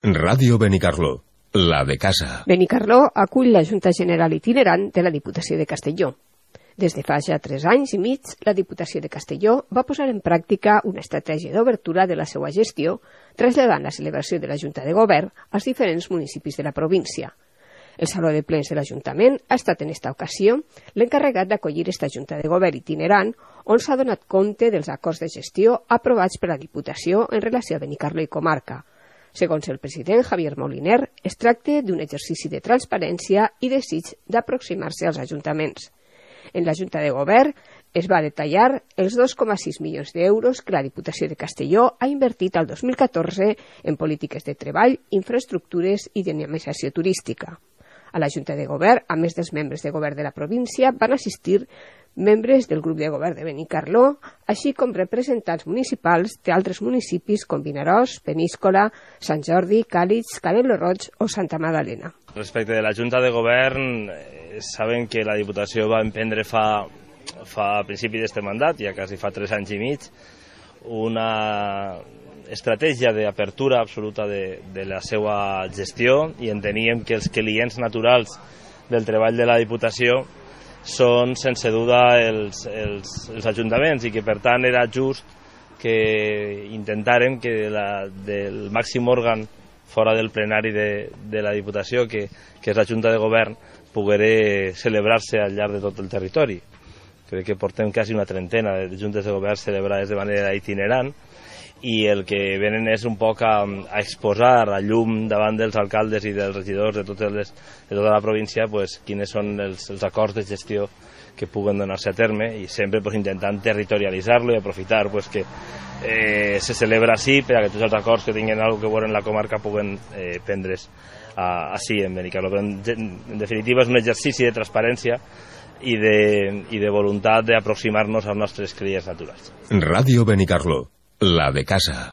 Ràdio Benicarló, la de casa. Benicarló acull la Junta General Itinerant de la Diputació de Castelló. Des de fa ja 3 anys i mig, la Diputació de Castelló va posar en pràctica una estratègia d'obertura de la seva gestió, traslladant la celebració de la Junta de Govern als diferents municipis de la província. El Saló de Plens de l'Ajuntament ha estat en esta ocasió l'encarregat d'acollir esta Junta de Govern itinerant, on s'ha donat compte dels acords de gestió aprovats per la Diputació en relació a Benicarló i comarca. Segons el president Javier Moliner, es tracta d'un exercici de transparència i desig d'aproximar-se als ajuntaments. En la Junta de Govern es va detallar els 2,6 milions d'euros que la Diputació de Castelló ha invertit al 2014 en polítiques de treball, infraestructures i dinamizació turística. A la Junta de Govern, a més dels membres de govern de la província, van assistir membres del grup de govern de Benicarló, així com representants municipals d'altres municipis com Vinaròs, Peníscola, Sant Jordi, Càlig, Canelo Roig o Santa Magdalena. Respecte de la Junta de Govern, saben que la Diputació va emprendre fa principi d'este mandat, ja quasi fa 3 anys i mig, una estratègia d'apertura absoluta de la seva gestió, i enteníem que els clients naturals del treball de la Diputació són sense duda els ajuntaments, i que per tant era just que intentàrem que del màxim òrgan fora del plenari de la Diputació, que és la Junta de Govern, pogués celebrar-se al llarg de tot el territori. Crec que portem quasi una trentena de juntes de govern celebrades de manera itinerant, i el que venen és un poc a exposar a llum davant dels alcaldes i dels regidors de tota la província quins són els acords de gestió que puguen donar-se a terme, i sempre intentant territorialitzar-lo i aprofitar que se celebra així per a que tots els acords que tinguin alguna cosa que veure en la comarca puguen prendre's així en Benicarló. Però en definitiva és un exercici de transparència i de voluntat d'aproximar-nos als nostres clients naturals. Ràdio Benicarló, la de casa.